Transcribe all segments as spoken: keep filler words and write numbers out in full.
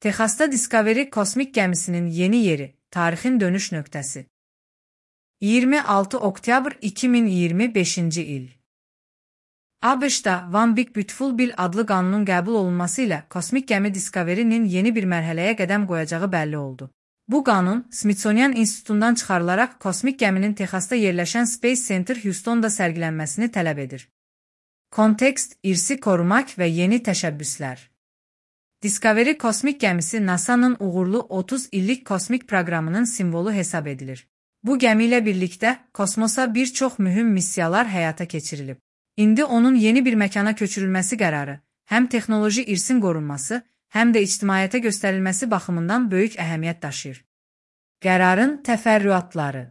Texasda Discovery kosmik gəmisinin yeni yeri, tarixin dönüş nöqtəsi. iyirmi altı oktyabr iki min iyirmi beşinci il. ABŞ-da One Big Beautiful Bill adlı qanunun qəbul olunması ilə kosmik gəmi Discovery-nin yeni bir mərhələyə qədəm qoyacağı bəlli oldu. Bu qanun, Smithsonian İnstitutundan çıxarılaraq kosmik gəminin Texasda yerləşən Space Center Houston'da sərgilənməsini tələb edir. Kontekst, irsi korumaq və yeni təşəbbüslər. Discovery kosmik gəmisi NASA'nın uğurlu otuz illik kosmik proqramının simvolu hesab edilir. Bu gəmi ilə birlikdə kosmosa bir çox mühüm missiyalar həyata keçirilib. İndi onun yeni bir məkana köçürülməsi qərarı, həm texnoloji irsin qorunması, həm də ictimaiyyətə göstərilməsi baxımından böyük əhəmiyyət daşıyır. Qərarın təfərrüatları.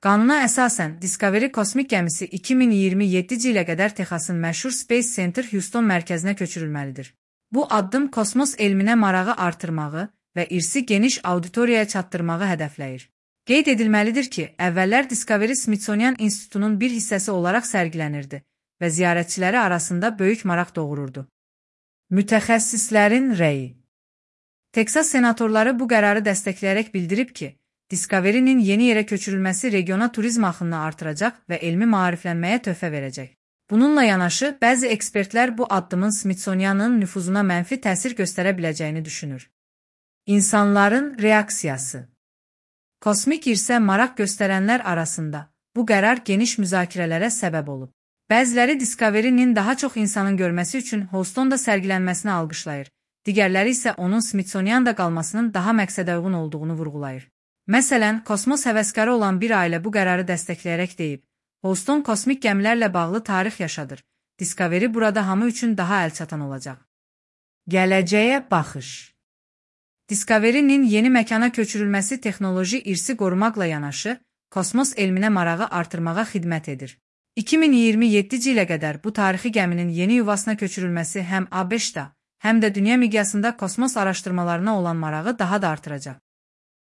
Qanuna əsasən, Discovery kosmik gəmisi iki min iyirmi yeddinci ilə qədər Texasın məşhur Space Center Houston mərkəzinə köçürülməlidir. Bu addım kosmos elminə marağı artırmağı və irsi geniş auditoriyaya çatdırmağı hədəfləyir. Qeyd edilməlidir ki, əvvəllər Discovery Smithsonian İnstitutunun bir hissəsi olaraq sərgilənirdi və ziyarətçiləri arasında böyük maraq doğururdu. Mütəxəssislərin rəyi. Texas senatorları bu qərarı dəstəkləyərək bildirib ki, Discovery-nin yeni yerə köçürülməsi regiona turizm axınını artıracaq və elmi maariflənməyə töhfə verəcək. Bununla yanaşı, bəzi ekspertlər bu addımın Smithsonianın nüfuzuna mənfi təsir göstərə biləcəyini düşünür. İnsanların reaksiyası. Kosmik irsə maraq göstərənlər arasında bu qərar geniş müzakirələrə səbəb olub. Bəziləri Discovery-nin daha çox insanın görməsi üçün Houston'da sərgilənməsini alqışlayır, digərləri isə onun Smithsonian'da qalmasının daha məqsədə uyğun olduğunu vurğulayır. Məsələn, kosmos həvəskarı olan bir ailə bu qərarı dəstəkləyərək deyib, Houston kosmik gəmilərlə bağlı tarix yaşadır, Discovery burada hamı üçün daha əlçatan olacaq. Gələcəyə baxış. Discovery-nin yeni məkana köçürülməsi texnoloji irsi qorumaqla yanaşı, kosmos elminə marağı artırmağa xidmət edir. iki min iyirmi yeddinci ilə qədər bu tarixi gəminin yeni yuvasına köçürülməsi həm ABŞ-da, həm də dünya miqyasında kosmos araşdırmalarına olan marağı daha da artıracaq.